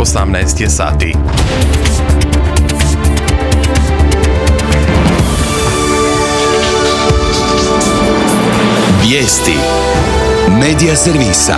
18 je sati. Vijesti Medija servisa.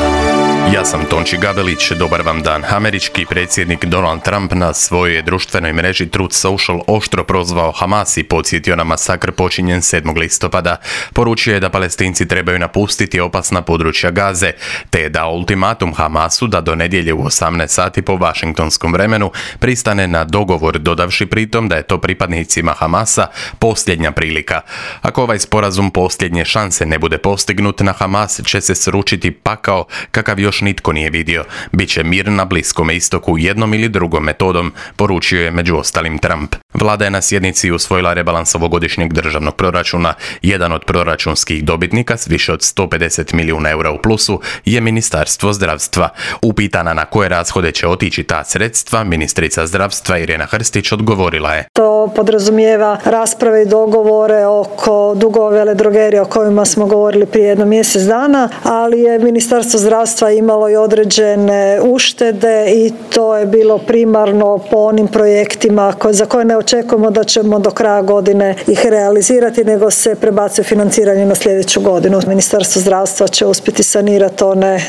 Ja sam Tonči Gavelić, dobar vam dan. Američki predsjednik Donald Trump na svojoj društvenoj mreži Truth Social oštro prozvao Hamas i podsjetio na masakr počinjen 7. listopada. Poručio je da Palestinci trebaju napustiti opasna područja Gaze, te je dao ultimatum Hamasu da do nedjelje u 18 sati po Washingtonskom vremenu pristane na dogovor, dodavši pritom da je to pripadnicima Hamasa posljednja prilika. Ako ovaj sporazum posljednje šanse ne bude postignut, na Hamas će se sručiti pakao kakav još nitko nije vidio. Biće mir na Bliskom istoku jednom ili drugom metodom, poručio je među ostalim Trump. Vlada je na sjednici usvojila rebalans ovogodišnjeg državnog proračuna. Jedan od proračunskih dobitnika s više od 150 milijuna eura u plusu je Ministarstvo zdravstva. Upitana na koje rashode će otići ta sredstva, ministrica zdravstva Irena Hrstić odgovorila je: To podrazumijeva rasprave i dogovore oko dugova veledrogerija o kojima smo govorili prije jedno mjesec dana, ali je Ministarstvo zdravstva imalo i određene uštede i to je bilo primarno po onim projektima za koje ne očekujemo da ćemo do kraja godine ih realizirati, nego se prebacuje financiranje na sljedeću godinu. Ministarstvo zdravstva će uspjeti sanirati one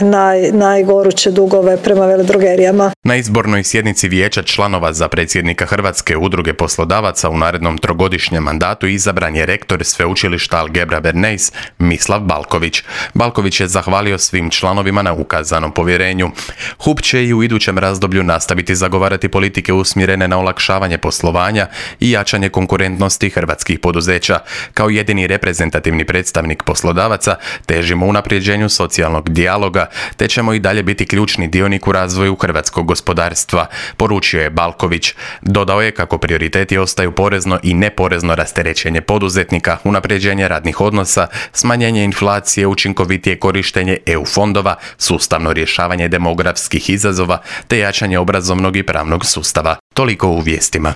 najgoruće dugove prema veledrogerijama. Na izbornoj sjednici vijeća članova za predsjednika Hrvatske udruge poslodavaca u narednom trogodišnjem mandatu izabran je rektor sveučilišta Algebra Bernays Mislav Balković. Balković je zahvalio svim članovima na ukazanom povjerenju. HUP će i u idućem razdoblju nastaviti zagovarati politike usmjerene na olakšavanje poslovanja i jačanje konkurentnosti hrvatskih poduzeća. Kao jedini reprezentativni predstavnik poslodavaca težimo unapređenju socijalnog dijaloga, te ćemo i dalje biti ključni dionik u razvoju hrvatskog gospodarstva, poručio je Balković. Dodao je kako prioriteti ostaju porezno i neporezno rasterećenje poduzetnika, unapređenje radnih odnosa, smanjenje inflacije, učinkovitije korištenje EU fondova, sustavno rješavanje demografskih izazova te jačanje obrazovnog i pravnog sustava. Toliko u vijestima.